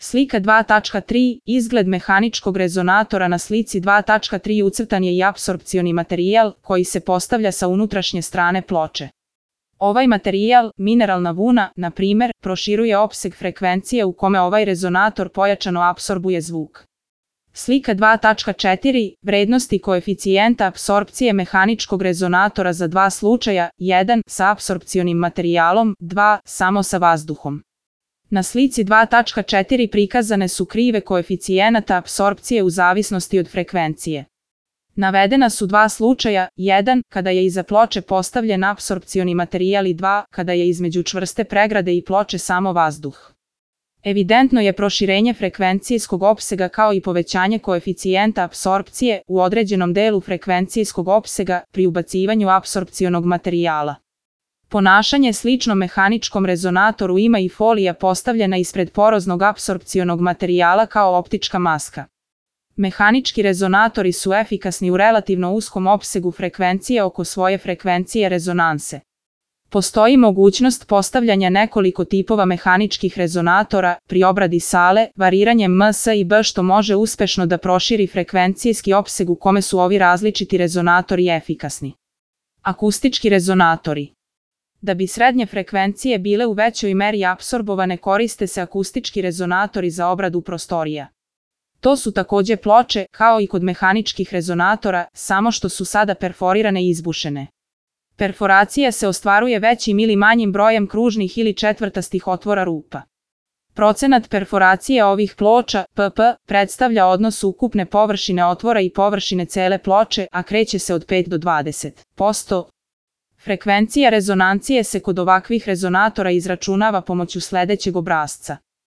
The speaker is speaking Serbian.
Slika 2.3. Izgled mehaničkog rezonatora. Na slici 2.3 ucrtan je i apsorpcioni materijal koji se postavlja sa unutrašnje strane ploče. Ovaj materijal, mineralna vuna, na primjer, proširuje opseg frekvencije u kome ovaj rezonator pojačano apsorbuje zvuk. Slika 2.4. Vrednosti koeficijenta apsorpcije mehaničkog rezonatora za dva slučaja: 1. sa apsorpcionim materijalom, 2. samo sa vazduhom. Na slici 2.4 prikazane su krive koeficijenata apsorpcije u zavisnosti od frekvencije. Navedena su dva slučaja: 1. kada je iza ploče postavljen apsorpcioni materijal i 2. kada je između čvrste pregrade i ploče samo vazduh. Evidentno je proširenje frekvencijskog opsega kao i povećanje koeficijenta apsorpcije u određenom delu frekvencijskog opsega pri ubacivanju apsorpcionog materijala. Ponašanje slično mehaničkom rezonatoru ima i folija postavljena ispred poroznog apsorpcionog materijala kao optička maska. Mehanički rezonatori su efikasni u relativno uskom opsegu frekvencije oko svoje frekvencije rezonanse. Postoji mogućnost postavljanja nekoliko tipova mehaničkih rezonatora pri obradi sale, variranjem ms i b, što može uspešno da proširi frekvencijski opseg u kome su ovi različiti rezonatori efikasni. Akustički rezonatori. Da bi srednje frekvencije bile u većoj meri apsorbovane, koriste se akustički rezonatori za obradu prostorija. To su takođe ploče, kao i kod mehaničkih rezonatora, samo što su sada perforirane i izbušene. Perforacija se ostvaruje većim ili manjim brojem kružnih ili četvrtastih otvora rupa. Procenat perforacije ovih ploča, pp, predstavlja odnos ukupne površine otvora i površine cele ploče, a kreće se od 5 do 20%. Frekvencija rezonancije se kod ovakvih rezonatora izračunava pomoću sledećeg obrasca.